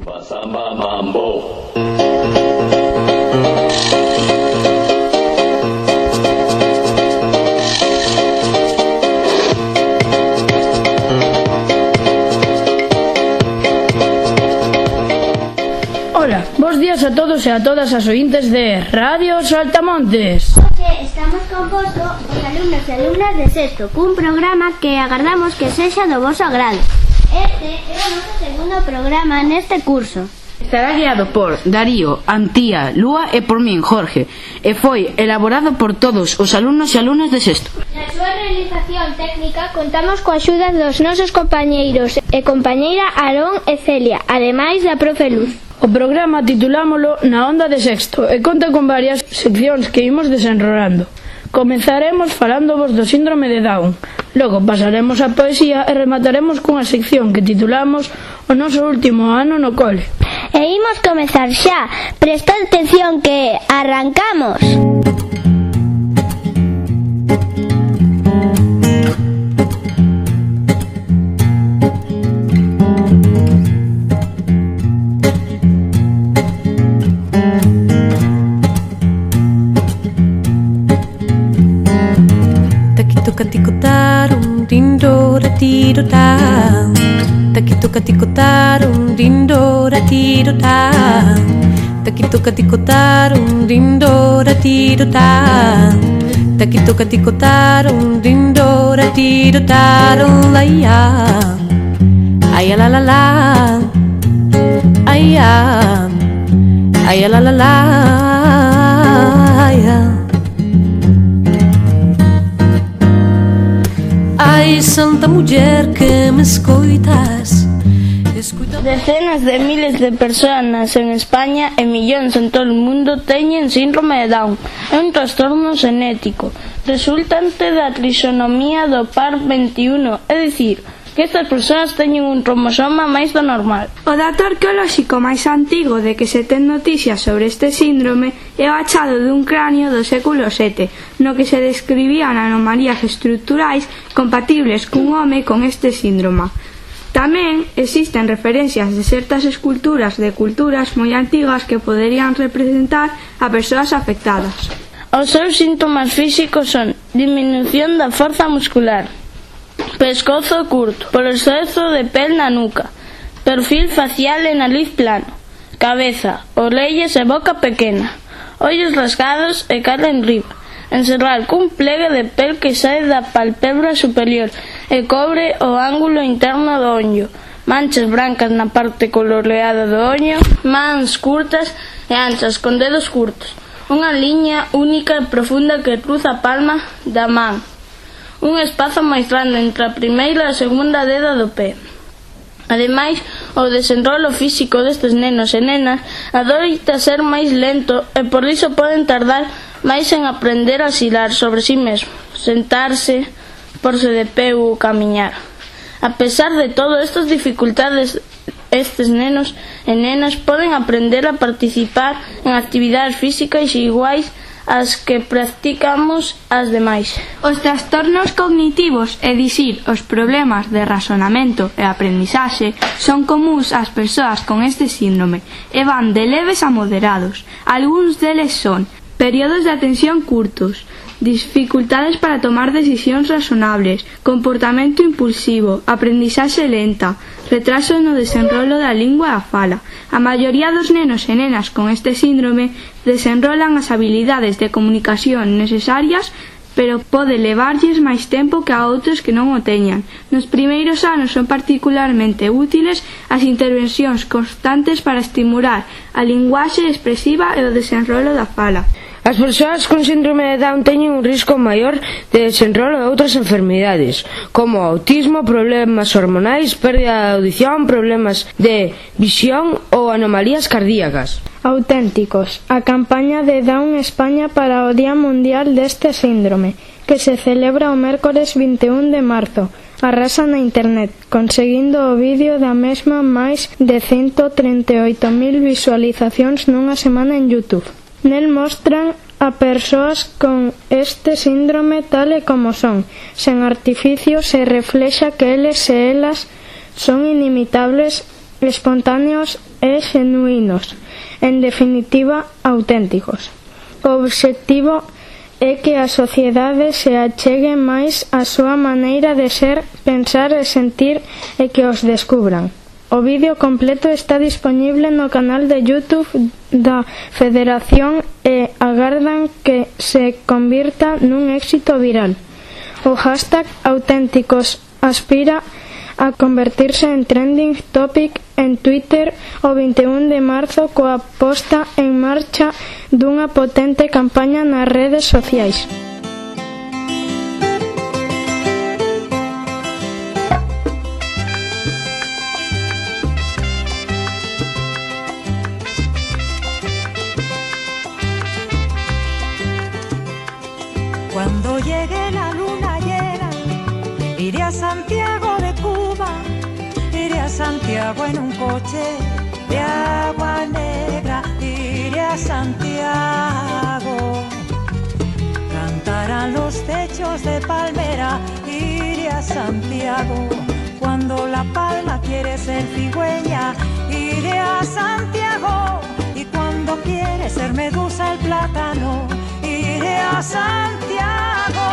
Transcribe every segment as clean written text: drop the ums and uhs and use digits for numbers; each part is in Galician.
Samba Mambo. Hola, bos días a todos e a todas as ointes de Radio Saltamontes. Estamos composto de alumnos e alumnas de sexto cun programa que agardamos que sexa do voso agrado. Este é o noso segundo programa neste curso. Estará guiado por Darío, Antía, Lúa e por min, Jorge, e foi elaborado por todos os alumnos e alumnas de sexto. Na súa realización técnica contamos coa axuda dos nosos compañeiros e compañeira Aarón e Celia, ademais da profe Luz. O programa titulámolo Na Onda de Sexto e conta con varias seccións que imos desenrolando. Comezaremos falándovos do síndrome de Down, logo pasaremos a poesía e remataremos cunha sección que titulamos O noso último ano no cole. E imos comezar xa, presta atención que arrancamos. Takituka-tikotarum dindora-tiro-tam. Takituka-tikotarum dindora-tiro-tam. Takituka-tikotarum dindora-tiro-tam. Takituka-tikotarum dindora-tiro-tarum. Ai-ya, ai-ya-la-la-la, ai-ya, ai-ya-la-la-la, ai-ya. Ai, santa muller que me escoitas. Decenas de miles de persoas en España e millóns en todo o mundo teñen síndrome de Down. É un trastorno xenético resultante da trisonomía do par 21, é dicir, que estas persoas teñen un cromosoma máis do normal. O dato arqueolóxico máis antigo de que se ten noticias sobre este síndrome é o achado dun cranio do século VII, no que se describían anomalías estruturais compatibles cun home con este síndrome. Tamén existen referencias de certas esculturas de culturas moi antigas que poderían representar a persoas afectadas. Os seus síntomas físicos son diminución da forza muscular, pescozo curto, por exceso de pel na nuca, perfil facial e nariz plano, cabeza, orellas e boca pequena, ollos rasgados e cara enriba, encerrar cun plegue de pel que sae da palpebra superior e cobre o ángulo interno do ollo, manchas brancas na parte coloreada do ollo, mans curtas e anchas con dedos curtos, unha liña única e profunda que cruza a palma da man, un espazo máis grande entre a primeira e a segunda deda do pé. Ademais, o desenrolo físico destes nenos e nenas adoita ser máis lento e por iso poden tardar máis en aprender a xirar sobre si mesmo, sentarse, porse de pé ou camiñar. A pesar de todo estas dificultades, estes nenos e nenas poden aprender a participar en actividades físicas iguais as que practicamos as demais. Os trastornos cognitivos, é dicir, os problemas de razonamento e aprendizaxe, son comúns ás persoas con este síndrome e van de leves a moderados. Algúns deles son períodos de atención curtos, dificultades para tomar decisións razonables, comportamento impulsivo, aprendizaxe lenta, retraso no desenrolo da lingua e a fala. A maioría dos nenos e nenas con este síndrome desenrolan as habilidades de comunicación necesarias, pero pode levarlles máis tempo que a outros que non o teñan. Nos primeiros anos son particularmente útiles as intervencións constantes para estimular a linguaxe expresiva e o desenrolo da fala. As persoas con síndrome de Down teñen un risco maior de desenrolo de outras enfermidades, como autismo, problemas hormonais, pérdida de audición, problemas de visión ou anomalías cardíacas. Auténticos, a campaña de Down España para o Día Mundial deste síndrome, que se celebra o mércores 21 de marzo. Arrasa na internet, conseguindo o vídeo da mesma máis de 138.000 visualizacións nunha semana en YouTube. Nel mostran a persoas con este síndrome tal e como son, sen artificios, e reflexa que eles e elas son inimitables espontáneos e xenuínos, en definitiva, auténticos. O obxectivo é que a sociedade se achegue máis á súa maneira de ser, pensar e sentir e que os descubran. O vídeo completo está disponible no canal de YouTube da Federación e agardan que se convirta nun éxito viral. O hashtag auténticos aspira a convertirse en trending topic en Twitter o 21 de marzo coa posta en marcha dunha potente campaña nas redes sociais. Cuando llegue la luna llena, iré a Santiago de Cuba, iré a Santiago en un coche de agua negra, iré a Santiago. Cantarán los techos de palmera, iré a Santiago. Cuando la palma quiere ser cigüeña, iré a Santiago. Y cuando quiere ser medusa el plátano, iré a Santiago,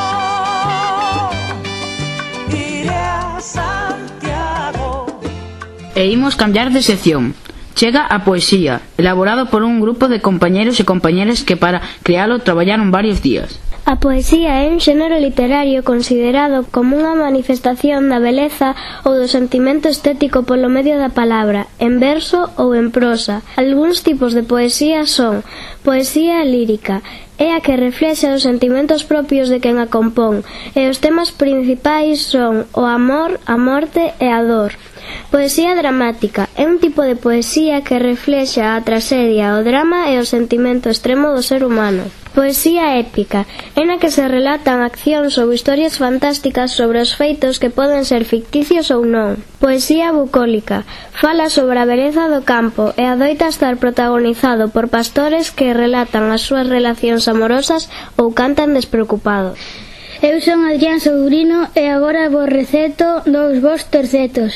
iré a Santiago. E imos cambiar de sección. Chega a poesía, elaborado por un grupo de compañeros e compañeras que para crealo traballaron varios días. A poesía é un xénero literario considerado como unha manifestación da beleza ou do sentimento estético polo medio da palabra, en verso ou en prosa. Algúns tipos de poesía son: poesía lírica, é a que reflexa os sentimentos propios de quen a compón, e os temas principais son o amor, a morte e a dor. Poesía dramática é un tipo de poesía que reflexa a traxedia, o drama e o sentimento extremo do ser humano. Poesía épica é na que se relatan accións ou historias fantásticas sobre os feitos que poden ser ficticios ou non. Poesía bucólica fala sobre a beleza do campo e adoita estar protagonizado por pastores que relatan as súas relacións amorosas ou cantan despreocupados. Eu son Adrián Sobrino e agora vos receto dous vos tercetos,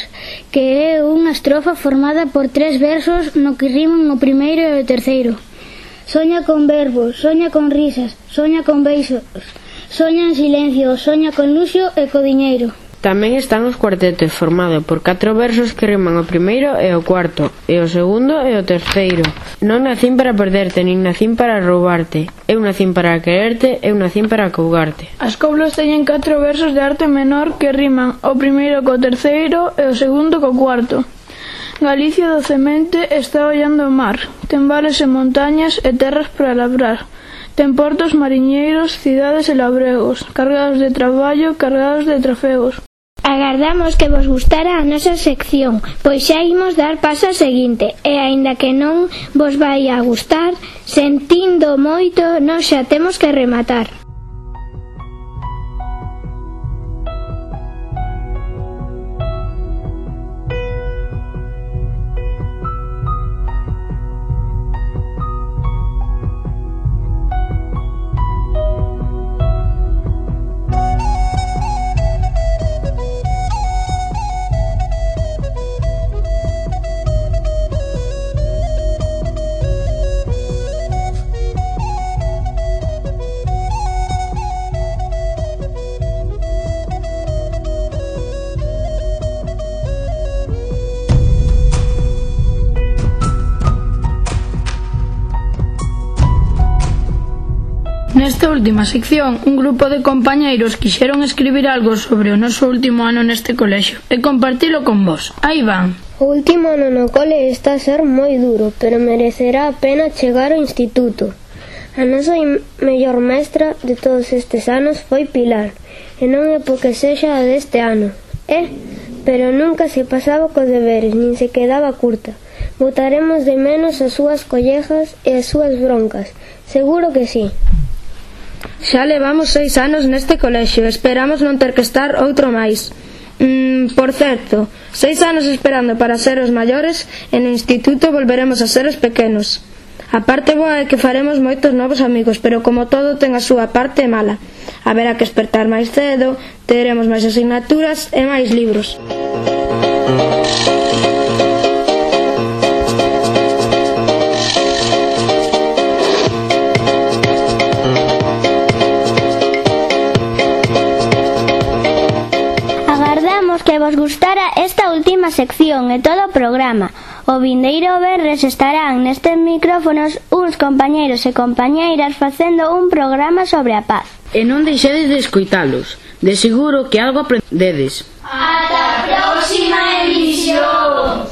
que é unha estrofa formada por 3 versos no que riman o primeiro e o terceiro. Soña con verbos, soña con risas, soña con beisos, soña en silencio, soña con luxo e co diñeiro. Tamén están os cuartetos, formado por 4 versos que riman o primeiro e o cuarto, e o segundo e o terceiro. Non nacín para perderte, nin nacín para roubarte. Eu nacín para quererte, eu nacín para cougarte. As coplas teñen 4 versos de arte menor que riman o primeiro co terceiro e o segundo co cuarto. Galicia docemente está ollando o mar, ten vales e montañas e terras para labrar. Ten portos mariñeiros, cidades e labregos, cargados de traballo, cargados de trofeos. Agardamos que vos gustara a nosa sección, pois xa imos dar paso ao seguinte, e aínda que non vos vai a gustar, sentindo moito, nós xa temos que rematar. Nesta última sección, un grupo de compañeiros quixeron escribir algo sobre o noso último ano neste colexio e compartilo con vos. Aí van. O último ano no cole está a ser moi duro, pero merecerá a pena chegar ao instituto. A nosa mellor mestra de todos estes anos foi Pilar, e non é porque sexa a deste ano. Pero nunca se pasaba cos deberes, nin se quedaba curta. Botaremos de menos as súas collejas e as súas broncas, seguro que sí. Xa levamos 6 anos neste colexio, esperamos non ter que estar outro máis. Por certo, 6 anos esperando para ser os maiores, e no instituto volveremos a ser os pequenos. A parte boa é que faremos moitos novos amigos, pero como todo ten a súa parte mala. Haberá que espertar máis cedo, teremos máis asignaturas e máis libros. que vos gustara esta última sección e todo o programa. O vindeiro venres estarán nestes micrófonos uns compañeiros e compañeiras facendo un programa sobre a paz. E non deixedes de escoitalos. De seguro que algo aprendedes. Ata a próxima emisión.